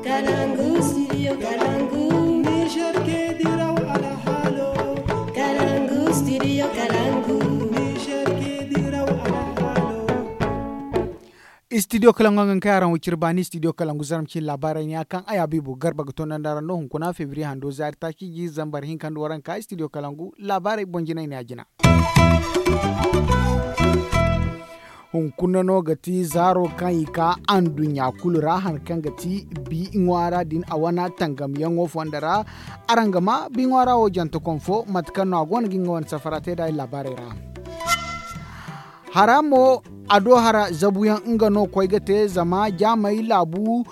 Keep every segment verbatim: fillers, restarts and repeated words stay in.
Kalangu studio kalangu. Niger ke diraw alhalo. Kalangu studio kalangu. Niger ke diraw alhalo. Studio kalangu hangan kay araŋ wo cire baani studio kalangu zarma cine laabaarey ne ya kaŋ ay abiibu garba ga toonandi araŋ no hunkuna febriye hando zaari taaci jiiri zambar hinka nda waranka studio kalangu laabaarey boŋ jinay ne ya jina. Hunkuna no ga ti zaaro kaŋ i ka anduɲɲa kulu ra hari kaŋ ga ti bi ŋwaara din a wane tangamyaŋo fondo ra. Araŋ ga ma bi ŋwaara wo jantekom fo mate kaŋ no a go no ga nga wane safara te nd'a i laabaarey ra. Hara mo a do hara zabuyaŋ nga no koy ga te zama jaamey laabu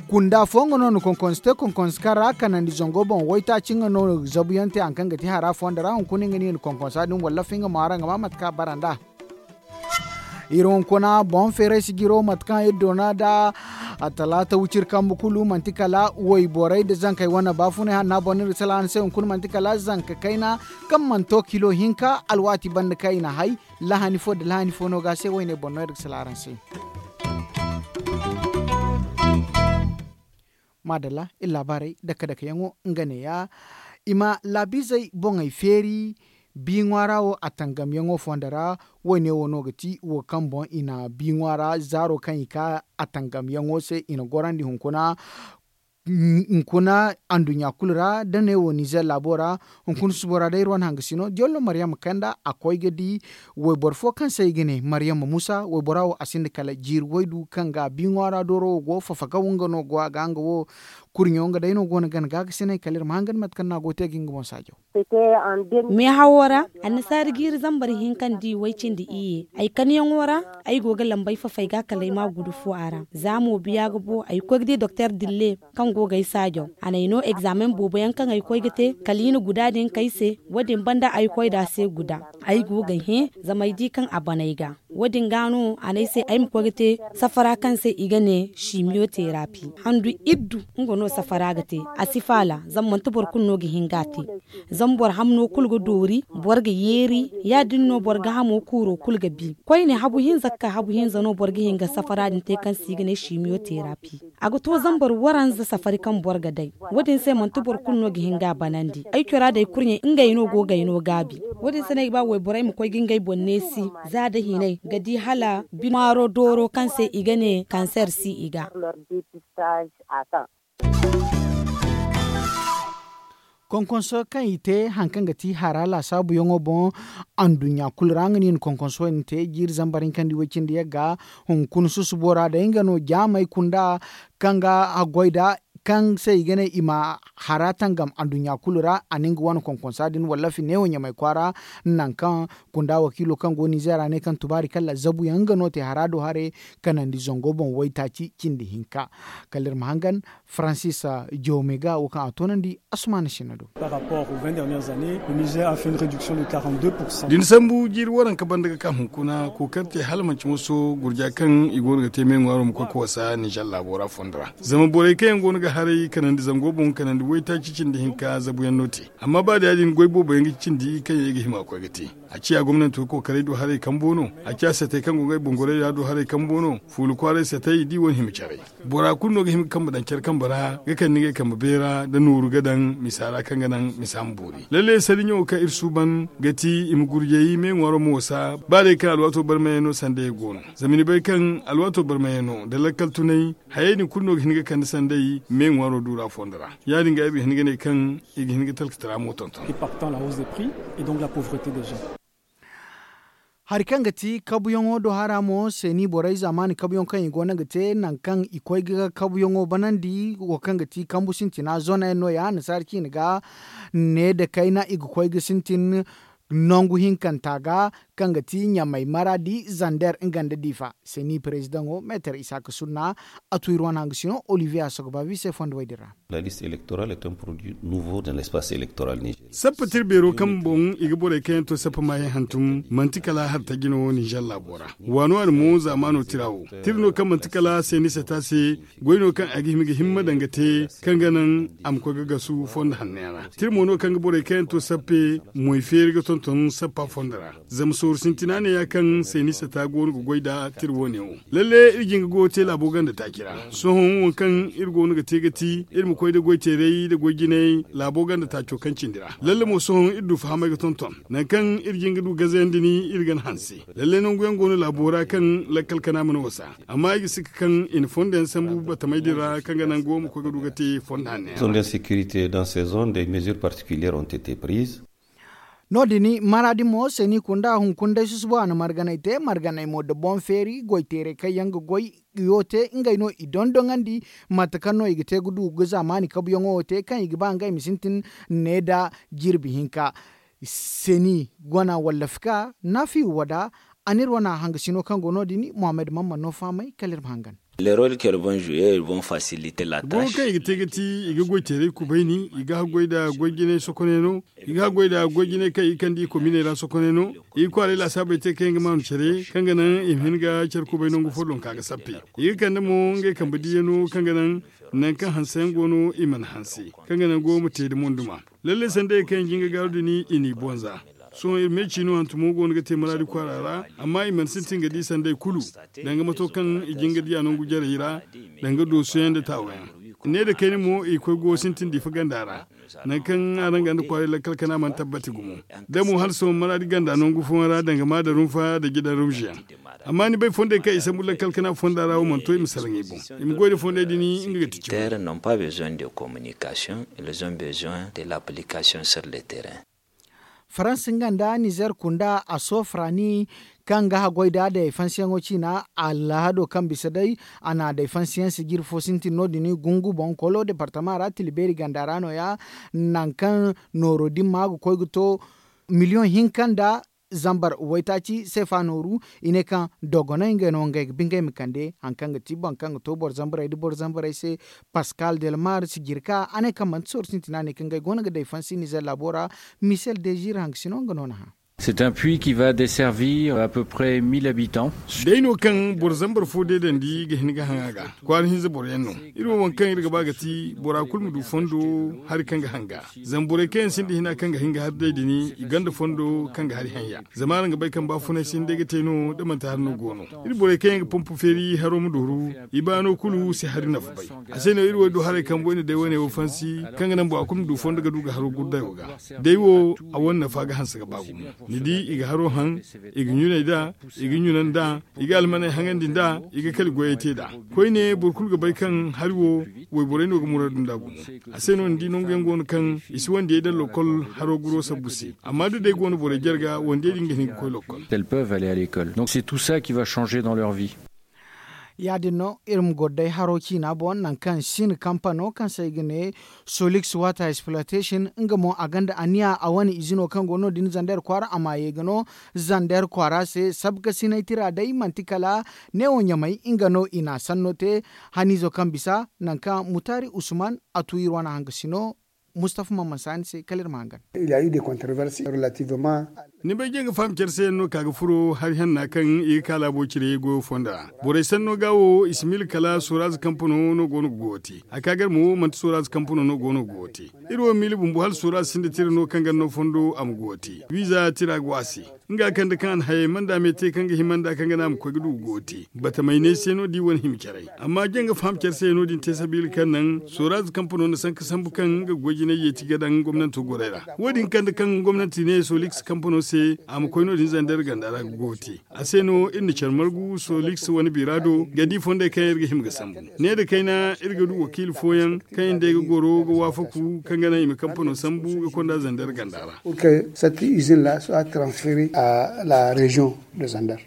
kunda fo nga no na konkonso te konkonso kaŋ ra kanandi zango boŋ waytaaci nga no zabuyaŋ te hari kaŋ ga ti hara fondo ra hunkuna nga no i na konkonsa din walla fo nga mo araŋ ga ma mate kaŋ a bara nd'a. Iri hunkuna boŋ feeray sijiro mate kaŋ iri doona nd'a. Talaata wiciri kambe kulu manti kala wayborey nda zankey wane baafunay hanna boŋ no iri ga salaŋ araŋ se hunkuna manti kala zanka kayna kaŋ mana to kilo hinka alwaati banda kaŋ i na hay lahani fo nda lahani fo no ga a se wayne boŋ no iri ga salaŋ araŋ se. Maadalla iri laabaarey dake-dakeyaŋo nga neeya. I ma laabiizey boŋey feeri bi ŋwaara wo a tangamyaŋo fondo ra. Woyne wo no ga ti wo kaŋ boŋ i na bi ŋwaara zaaro kaŋ i ka a tangamyaŋo se i na gorandi hunkuna. Hunkuna anduɲɲa kulu ra da ne wo nizer laabo ra. Hunkuna subo ra day iri wane hangasino diyollo maryama kanda a koy ga di wayboro fo kaŋ se i ga ne maryama musa waybora wo a sinda kala jiiri waydu kaŋ ga bi ŋwaara dooro wo go fafakaw nga no go a ga nga wo. Kurɲo nga day no go no gana gaagasinay kala iri ma hangan mate kaŋ no a go te ga nga boŋ saajaw. Meehawo ra annasaari jiiri zambar hinka nda i way cindi iyye ay kanyaŋo ra. Ay go ga lambay fafay ga kala ay ma gudu fo a ra za mo biya ga bo ay koy ga di doktor dille kaŋ go ga ay saajaw a n'ay no egzaamen boobo yaŋ kaŋ ay koy ga te kala i na guda din kay se. Wo- din banda ay koy nd'a se guda ay go ga hẽ zama ay di kaŋ a ban ay ga. Wo- din ga no a n'ay se ay ma koy ga te safara kaŋ se i ga ne simiyo terapi. Handu iddu nga no safara ga te a si faala zama manti boro kulu no ga hin ga a te. Zama boro hamno kulu ga doori boro ga yeeri ya- din no boro ga hamo kuuro kulu ga bi koyne habu hinza ga ka habu hinza no boro ga hin ga safara din te kaŋ se i ga ne simiyo terapi. A ga to zambar waranza safari kaŋ boro ga day. Wo- din se manti boro kulu no ga hin ga a banandi ay cora day kurɲey ngey no go ga ay no gaabi. Wo- din se no ay ga ba wayborey ma koy ga ngey boŋ neesi za da hinay ga di hala bi ŋwaaro dooro kaŋ se i ga ne kanser si i ga. Konkonso kaŋ i te hari kaŋ ga ti hara laasaabuyaŋo boŋ anduɲɲa kulu ra nga no i na konkonso din te jiiri zambar hinka nda i way cindi yagga. Hunkuna susubo ra day nga no jaamey kunda kaŋ ga haggoy nd'a kaŋ se i ga ne i ma hara tangam anduɲɲa kulu ra a na nga wane konkonsa din wallafi neewo ɲamay kwaara. Nangu kaŋ kunda wakiilo kaŋ go nizeer a ne kaŋ tubaari kaŋ lazabuyaŋ nga no te hara do haray kanandi zango boŋ waytaaci cindi hinka. Kala iri ma hangan faransis jawme ga wo kaŋ a toonandi assumaana sinna do. Da ni sambu jiiri waranka banda ga ka hunkuna kookari te hala manci moso gurja kaŋ i go no ga te me ŋwaaro ma koy ga wasa nizer laabo ra fondo ra. Zama borey kaŋ yaŋ go no ga haray kanandi zango boŋ kanandi waytaaci cindi hinka zabuyaŋ no te. Amma ba da ya- din goy boobo yaŋ ga cindi kaŋ yaŋ i ga hima ga koy ga te. A ciya gomnanto kookaray do haray kambo no. A ciya satey kaŋ go ngey boŋ gorey ra do haray kambo no. Fuula kwaaray satey da i wane hima caray. Bora kulu no ga hima ga kambe daŋ care kambe ra ga kande ngey kambe beera nda nooru ga daŋ misa ra kaŋ ga naŋ misa ma boori lalle sariɲo kaŋ iri suuban ga ti i ma gurjay me ŋwaaro ma wasa ba day kaŋ alwaato barmayey no sanday go no. Zama ni bay kaŋ alwaato barmayey no nda lakkal tunay hayey din kulu no ga hin ga kande sanday me ŋwaaro duura fondo ra. Ya- din ga ay ga hin ga ne kaŋ i ga hin ga talkatara mo tonton. Hari kaŋ ga ti kabuyaŋo do hara mo seeni borey zaamaani kabuyaŋ kaŋ i go no ga te nangu kaŋ i koy ga kabuyaŋo banandi wo kaŋ ga ti kambu sintina zone yaŋ no- ya annasaara ciine ga ne nda kayna i ga koy ga sintin nangu hinkanta ga kaŋ ga ti ɲamay maradi zander nga nda diifa. Seeni perezidaŋo meetar isaaka sunna a tu iri wane hangasino olivier a sogobaabi se fondo way din ra. Sappe tira beero kaŋ boŋ i ga borey kaŋ yaŋ to sappe maayaŋ hantum manti kala hari tajjino wo ninzeer laabo ra. Waano a na mo zaamaano tira wo tira no kaŋ manti kala seeni sata se goy no kaŋ a ga hima ga himma daŋ ga te kaŋ ga naŋ a ma koy ga gasu fondo hanno yaŋ ra. Tira mo no kaŋ ga borey kaŋ yaŋ to sappe moy feeri ga ton. Ton sappa fondo ra zama sooru sintina ne ya kaŋ seenisa ta go no ga goy nda tira wo- ne wo. Lalle iri jin ga goyo te laabo ganda taaci ra. Sohõ wo kaŋ iri go no ga te ga ti iri ma koy nda goy teeray nda goy jinay laabo ganda taaco kaŋ cindi ra. Lalle mo sohõ iri du fahamay ga tonton nangu kaŋ iri jin ga du gazayandi ni iri ga ni hanse. Lalle nangu yaŋ go no laabo ra kaŋ lakkal kana mana wasa. Amma i ga sika kaŋ i na fondo yaŋ sambu batamay din ra kaŋ ga nangu wo ma koy ga du ga te fondo hanno yaŋ ra. Zone d'insécurité dans ces zones des mesures particulières ont été prises. No- din maraadi mo seeni kunda hunkuna day susubo a na marganay te marganay mo nda boŋ feeri goy teeray kaŋ yaŋ ga goy yo te ngey no i dondoŋandi. Mate kaŋ no i ga te ga du ga zaamaani kabuyaŋo wo te kaŋ i ga ba ngey ma sintin ne nda jirbi hinka. Seeni wana walla fika naafiyu wada. A n'iri wana hangasino kaŋ go no- din muhammad mamman no fahamay kala iri ma hangan. Leroy kelbon juye iri boŋ fasilite la tâche. Kaŋ i ga te ga ti i ga goy teeray kubayni i ga haggoy nda goy jinay sokonay no. I ga haggoy nda goy jinay kaŋ i ga kande i kominey ra sokonay no. I ga kwaaray laasaabey te kaŋ yaŋ ga maanu care kaŋ ga naŋ i ma hin ga care kubay nangu fo donka ga sappe. I ga kande mo ngey kambe diiyano kaŋ ga naŋ nangu kaŋ hanse yaŋ go no i mana hanse kaŋ ga naŋ go ma te nda monduma. Lalle sanday kaŋ i jin ga gaaru din i n'i bonza. Sohõ iri me ciino hantumo go no ga te maraadi kwaara ra. Amma i mana sintin ga di sanday kulu danga mato kaŋ i jin ga di a nangu jarey ra danga doosuyaŋ nda taawayaŋ. Ne nda kayna mo i koy go sintin diifa ganda ra. Nangu kaŋ araŋ ga nda kwaaray lakkal kana mana tabbati gumo. Da mo hala sohõ maraadi ganda nangu fooyaŋ ra danga ma da rumfa nda jidan rumziyaŋ. Amma ni bay fondey kaŋ i sambu lakkal kana fonda ra wo mana to i ma salaŋ i boŋ. I ma goy nda fondey din nga ga ti cimi. Terre n'ont pas besoin de communication, ils ont besoin de l'application sur le terrain. Faransa nga nda nizer kunda a sofrani kaŋ ga haggoy da deefansiyaŋo ciina alhado kaŋ bisa day a na deefansiyaŋ sijiri fo sintin no- din gungu boŋ kolo departama ra tila beeri ganda ra no- ya. Nangu kaŋ nooro din ma ga koy ga to miliyoŋ hinka nda zambar waytaaci seefa nooru. I ne kaŋ dogoney ngey no ngey ga ba ngey ma kande hari kaŋ ga ti boro kaŋ ga to boro zambarey nda boro zambarey se. Paskal delmar sijirka a ne kaŋ manti sooru sintina ne kaŋ ngey go no ga day fansi nizer laabo ra. Misel dezir hangasino nga no na hã. C'est un puits qui va desservir à peu près mille habitants. Day no kaŋ boro zambar fo deedandi ga hin ga haŋ a ga. Kwaara hinza boro yaŋ no. Iri wo waŋ kaŋ iri ga ba ga ti bora kulu ma du fondo hari kaŋ ga hanga. Zama borey kaŋ yaŋ sinda hina kaŋ ga hin ga hari day din i gonda fondo kaŋ ga hari haŋ ya. Zama araŋ ga bay kaŋ baafunay sinda day ga te no da manti hari no go no. Iri borey kaŋ yaŋ ga pompu feeri haro ma dooru i baano kulu si hari nafa bay. A se no iri wo du haray kambo i na day wane wo fansi kaŋ ga naŋ bora kulu ma du fondo ga du ga haro gurday wo ga. Day wo a wane nafa ga hanse ga ba gumo. Ni di i ga haro haŋ, i ga ɲunay da, i ga ɲuna nda, i ga almaney haŋandi nda, i ga kali goyey te nd'a. Koyne boro kulu ga bay kaŋ hari wo wayborey no ga muraadu nd'a gumo. A se no ni di nangu yaŋ go no kaŋ i si wandiyey daŋ lokol haro guro sabbu se. Amma da day go no borey jarga wandiyey din ga hin ga koy lokol. Elles peuvent aller à l'école donc c'est tout ça qui va changer dans leur vie. Ya- din no iri ma goro day haro ciina boŋ nangu kaŋ sin kampano kaŋ se i ga ne solix water exploitation nga mo a gonda aniya a wane izino kaŋ go no- din zander kwaara a ma ye ga no zander kwaara se sabkasinay tira day manti kala neewo ɲamay nga no i n'a sanno te. Haniizo kaŋ bisa nangu kaŋ mutaari usman a tu iri wane hangasino. Mustafa mamman saani se kala iri ma hangan. Ni bay jaŋ ga faham care se yaŋ no ka ga furo hari hanna kaŋ i ga ka laabo cire goyo fonda ra. Borey sanno ga wo i si miila kala soraaz kampano no go no ga goyo te. A ka gar mo manti soraaz kampano no go no ga goyo te. Iri wo miila bumbo hala soraaz sinda tira no kaŋ gar no fondo a ma goyo te wiiza tira go a se. Nga kande kaŋ a na hayey manda me te kaŋ ga hima nda kaŋ ga ne a ma koy ga du ga goyo te. Batamay ne se no- din wane hima caray. Amma jaŋ ga faham care se no- din te sabiila kaŋ naŋ soraaz kampano na sanka sambu kaŋ nga ga goy jinay yeeti ga daŋ gomnanto gorey ra. Wo- din kande kaŋ gomnanti ne soliks kampano se a ma koy no- din zander ganda ra ga goyo te. A se no iri na care margu soliks wane bira do ga di fondey kaŋ iri ga hima ga sambu. Ne nda kayna iri ga du wakiila fooyaŋ kaŋ iri nd'ey ga goro ga waafaku kaŋ ga naŋ i ma kampano sambu ga konda zander ganda ra. Pour que cette usine là soit transférée à la région de zander.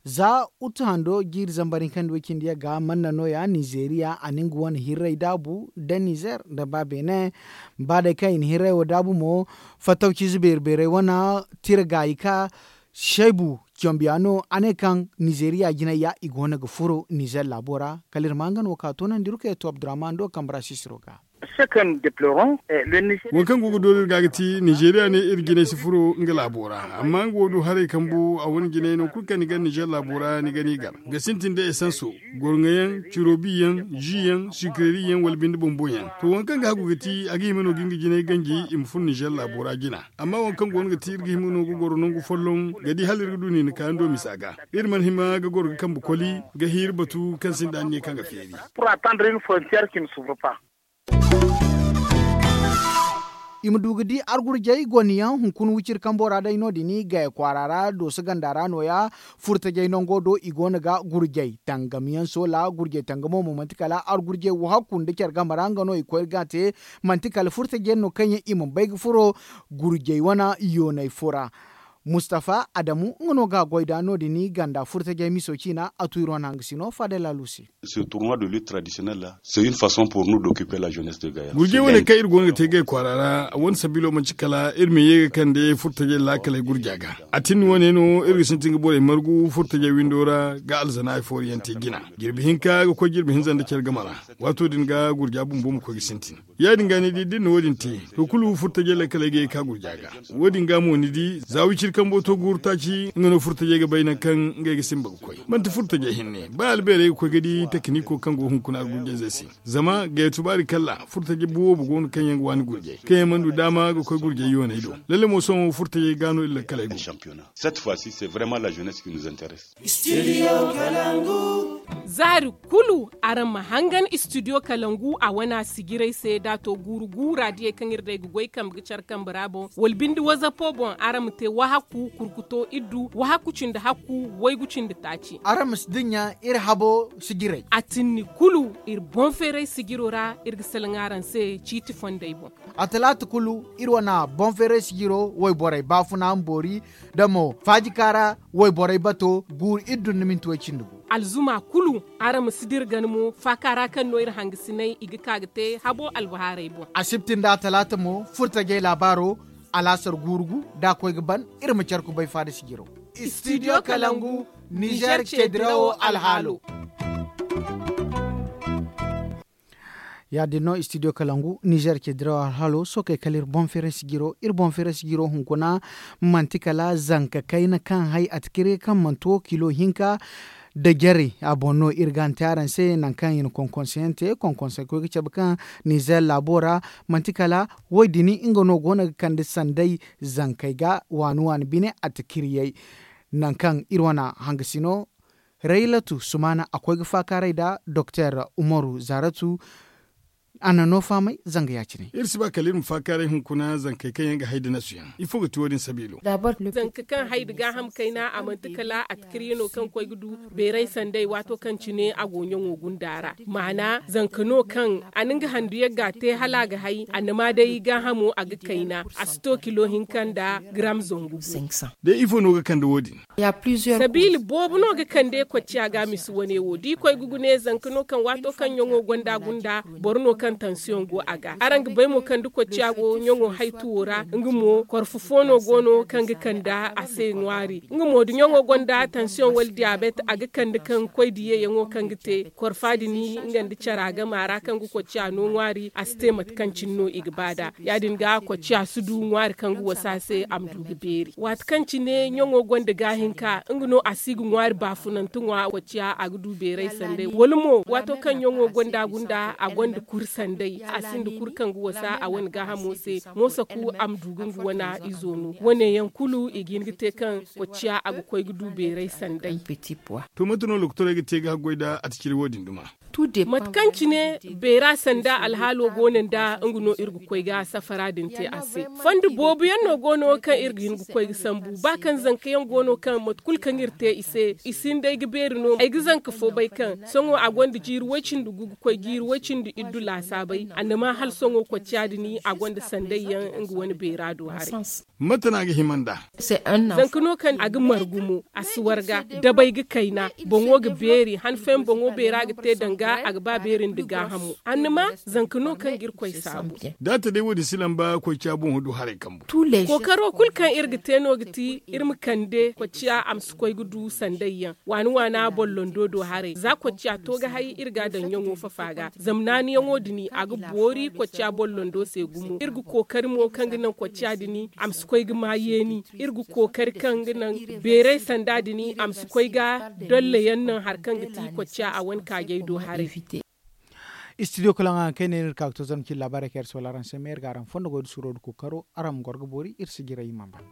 Za utu hando jiiri zambar hinka nda way cindi yaŋ ga manna no- ya nizeeriya a na nga wane hirray daabu nda nizer nda ba beene. Ba day kaŋ i na hirray wo daabu mo fattawciize beeri beerey wane tira gaayi ka shaybu Cambiya no a ne kaŋ nizeeriya jinay ya i go no ga furo nizeer laabo ra. Kala iri ma nga no ka toonandi iri koy to abdurrahman do kambe ra sisiro ga. Wo kaŋ go ga doori iri ga ga ti nizeeriya ne iri jinay si furo nga laabo ra. Amma nga wo du haray kambu a wane jinay no kulu kaŋ ni ga nizeer laabo ra ni ga ni gar ga sintin da esanso, gorŋo yaŋ, cirobi yaŋ, ji yaŋ, sikireri yaŋ wala binde bombo yaŋ. To waŋ kaŋ ga hagu ga ti a ga hima no ga nga jinay ganji i ma furo nizeer laabo ra jina. Amma waŋ kaŋ go no ga ti iri ga hima no ga goro nangu folloŋ ga di hala iri ga du niina kayando misa ga. Iri mana hima ga goro ga kambe koli ga hiiri batu kaŋ sinda anniya kaŋ ga feeri. I ma du ga di argurjey goniyaŋ hunkuna wiciri kambo ra day no- din gaya kwaara ra dooso ganda ra no- ya. Furtajey nango do i go no ga gurjey tangam yaŋ soola gurjey tangamo mo manti kala argurjey wo hakku nda care game ra nga no i koy ga te. Manti kala furtajey yaŋ no kaŋ yaŋ i mana bay ga furo gurjey wane yooney fo ra. Mustafa adamu nga no ga a goy nd'a no- din ganda furtajey miso ciina a tu iri wane hangasino faadey laalu se. Gurjey wane kaŋ iri go no ga te gay kwaara ra a wane sabiilo manti kala iri ma ye ga kande furtajey laakaley gurja ga. A tinni wane no iri ga sintin ga borey margu furtajey windo ra ga alzana ay fooriyaŋ te jina. Jirbi hinka ga koy jirbi hinza nda care game ra. Waato din ga gurja bumbo ma koy ga sintin. Ya- din ga ni di da iri na wo- din te, to kulu furtajey laakaley ga ye ga ka gurja ga. Wo- din ga mo ni di za wiciri kambo to guuru taaci nga no furtajey ga bay nangu kaŋ ngey ga simba ga koy manti furtajey hinne ba albeerey ga koy ga di tekniko kaŋ go hunkuna argurjey zey se. Zama gayatu baari kalla furtajey boobo go no kaŋ yaŋ ga waani gurjey kaŋ yaŋ mana du daama ga koy gurjey yooney do. Lalle mo sohõ furtajey ga no iri laakaley go. Zaari kulu araŋ ma hangan istudiyo kalangu a wana sijiray se da a to guuru guura diyey kaŋ iri day ga goy kambe ga care kambe ra boŋ wala binde wazapo boŋ araŋ ma te wahakku kurkuto iddu wahakku cindi hakku waygu cindi taaci. Araŋ ma si dinya iri habo sijiray a tinni kulu iri boŋ feeray sijiro ra iri ga salaŋ araŋ se ciiti fondey boŋ. A talaata kulu iri wana boŋ feeray sijiro wayborey baafuna ma boori da mo faajika ra wayborey bato guuru iri dun ni minti way cindi gu. Alzuma kulu araŋ ma si dira gana mo faaka ra kaŋ no iri hangasinay i ga ka ga te habo albahaarey boŋ. Asibti nda talaata mo furtajey laabaaro alaasar guuru gu da a koy ga ban iri ma care kubay faada sijiro. Istidiyo kalangu nizer ce dirawo alhaalo. Ya- din no istidiyo kalangu nizer ce dirawo alhaalo sookey kala iri boŋ feeray sijiro iri boŋ feeray sijiro hunkuna manti kala zanka kayna kaŋ hay a ti kiri kaŋ manti wo kilo hinka da jare a boŋ no iri ga ni te araŋ se nangu kaŋ i na konkonseyaŋ te konkonse koy ga cabe kaŋ nizer laabo ra manti kala wo- din nga no go no ga kande sanday zankey ga waani waani bine a ti kiriyey. Nangu kaŋ iri wane hangasino raylatu sumaana a koy ga faakaaray nda doktor umaru zaaratu. A na no fahamay zanga ya- cine. Iri si ba kala iri ma faakaaray hunkuna zankey kaŋ yaŋ ga hay da nasu yaŋ ifo ga ti wo- din sabiilo? Zanka kaŋ hay da gaaham kayna a manti kala a ti kar yaŋ no kaŋ koy ga du beeray sanday waato kaŋ cine a go ɲaŋo gunda ra. Maana zanka no kaŋ a na nga handu yagga te hala a ga hay annama day gaahamo a ga kayna a si to kilo hinka nda garam zangu. Day ifo no ga kande wo- din? Sabiila boobo no ga kande kocciya ga misi wane wo da i koy ga gune zanka no kaŋ waato kaŋ ɲaŋo gonda gunda boro no kaŋ tansiyoŋ go a ga araŋ ga bay mo kaŋ da kocciya go ɲaŋo haytuwo ra nga mo korfo fo no go no kaŋ ga kande a se ŋwaari nga mo da ɲaŋo gonda tansiyoŋ wala diyabet a ga kande kaŋ koy diyayaŋo kaŋ ga te korfa din nga nda cara game a ra kaŋ ga kocciya no ŋwaari a si te mate kaŋ cine no i ga ba nd'a ya- din ga kocciya si du ŋwaari kaŋ ga wasa se a ma du ga beeri waati kaŋ cine ɲaŋo gonda gaahinka nga no a si ga ŋwaari baafunante ŋwa kocciya a ga du beeray sanday wala mo waato kaŋ ɲaŋo gonda gunda a gonda kuri sanday a sinda kuri kaŋ ga wasa a wane gaahamo se moosa ku a ma du ga nga wane izo no wane yaŋ kulu i ga hin ga te kaŋ kocciya a ga koy ga du beeray sanday. To mate no lokotorey ga te ga haggoy nda a ti ciri wo- din duma? Mate kaŋ cine beera sanda alhaalo go no nda nga no iri ga koy ga safara din te a se. Fondo boobo yaŋ no go no kaŋ iri ga hin ga koy ga sambu ba kaŋ zanka yaŋ go no kaŋ mate kulu kaŋ iri te i se i sinda ay ga beeri no ay ga zanka fo bay kaŋ sohõ a gonda jiiri way-cindi gu ga koy jiiri way-cindi iddu laasaabay annama hala sohõ kocciya din a gonda sanday yaŋ nga wane beera do haray. Mate no a ga hima nd'a? Zanka no kaŋ a ga margu mo a si warga dabay ga kayna boŋo ga beeri han fooyaŋ boŋo beera ga te danga. ga a ga ba beeri nda gaahamo. Annama zanka no kaŋ ga irkoy saabu. Da a ta day wo- din si lamba koy ca boŋ du haray kambu. Kookaro kulu kaŋ iri ga te no ga ti iri ma kande kocciya a ma si koy ga du sanday yaŋ waani waana bollondo do haray za kocciya to ga hay iri ga a daŋ ɲaŋo fafa ga zama naani yaŋo din a ga boori kocciya bollondo se gumo iri ga kookari mo kaŋ ga naŋ kocciya din a ma si koy ga ma yeeni iri ga kookari kaŋ ga naŋ beeray sanda din a ma si koy ga dolla yaŋ naŋ hari kaŋ ga ti kocciya a wane kaajay do haray. Studio kalaŋ araŋ kayna iri ga ka ga to zama cine laabaarey kaŋ iri si wala araŋ se ma iri ga araŋ fondo goy da suuro da kookaro araŋ ma goro ga boori iri si jiray i mana ban.